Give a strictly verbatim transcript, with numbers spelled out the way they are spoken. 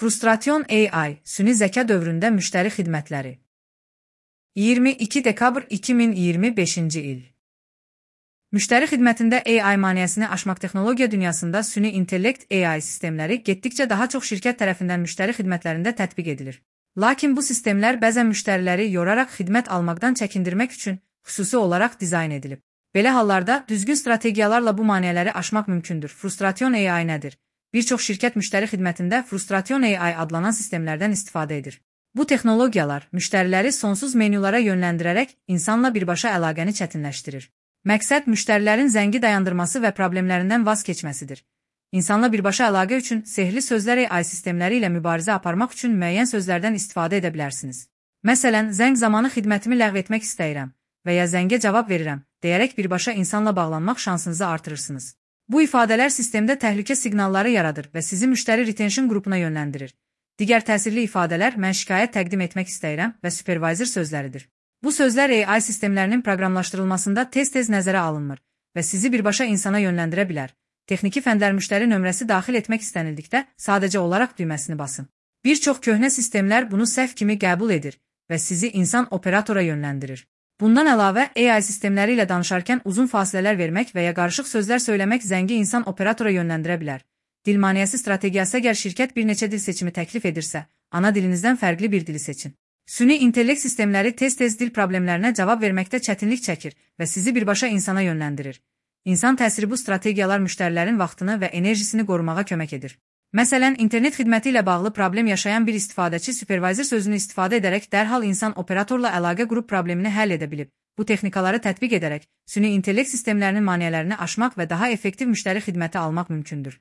Frustration A I, süni zəka dövründə müştəri xidmətləri. iyirmi iki dekabr iki min iyirmi beşinci il. Müştəri xidmətində A I maneəsini aşmaq texnologiya dünyasında süni intellekt A I sistemləri getdikcə daha çox şirkət tərəfindən müştəri xidmətlərində tətbiq edilir. Lakin bu sistemlər bəzən müştəriləri yoraraq xidmət almaqdan çəkindirmək üçün xüsusi olaraq dizayn edilib. Belə hallarda düzgün strategiyalarla bu maneələri aşmaq mümkündür. Frustration A I nədir? Bir çox şirkət müştəri xidmətində Frustration A I adlanan sistemlərdən istifadə edir. Bu texnologiyalar müştəriləri sonsuz menyulara yönləndirərək insanla birbaşa əlaqəni çətinləşdirir. Məqsəd müştərilərin zəngi dayandırması və problemlərindən vaz keçməsidir. İnsanla birbaşa əlaqə üçün sehirli sözlər A I sistemləri ilə mübarizə aparmaq üçün müəyyən sözlərdən istifadə edə bilərsiniz. Məsələn, zəng zamanı xidmətimi ləğv etmək istəyirəm və ya zəngə cavab verirəm deyərək birbaşa insanla bağlanmaq şansınızı artırırsınız. Bu ifadələr sistemdə təhlükə siqnalları yaradır və sizi müştəri retention qrupuna yönləndirir. Digər təsirli ifadələr mən şikayət təqdim etmək istəyirəm və supervisor sözləridir. Bu sözlər A I sistemlərinin proqramlaşdırılmasında tez-tez nəzərə alınmır və sizi birbaşa insana yönləndirə bilər. Texniki fəndlər müştəri nömrəsi daxil etmək istənildikdə sadəcə olaraq düyməsini basın. Bir çox köhnə sistemlər bunu səhv kimi qəbul edir və sizi insan operatora yönləndirir. Bundan əlavə, A I sistemləri ilə danışarkən uzun fasilələr vermək və ya qarışıq sözlər söyləmək zəngi insan operatora yönləndirə bilər. Dil maneəsi strategiyası əgər şirkət bir neçə dil seçimi təklif edirsə, ana dilinizdən fərqli bir dili seçin. Süni intellekt sistemləri tez-tez dil problemlərinə cavab verməkdə çətinlik çəkir və sizi birbaşa insana yönləndirir. İnsan təsiri bu strategiyalar müştərilərin vaxtını və enerjisini qorumağa kömək edir. Məsələn, internet xidməti ilə bağlı problem yaşayan bir istifadəçi supervisor sözünü istifadə edərək dərhal insan operatorla əlaqə qrup problemini həll edə bilib. Bu texnikaları tətbiq edərək süni intellekt sistemlərinin maneələrini aşmaq və daha effektiv müştəri xidməti almaq mümkündür.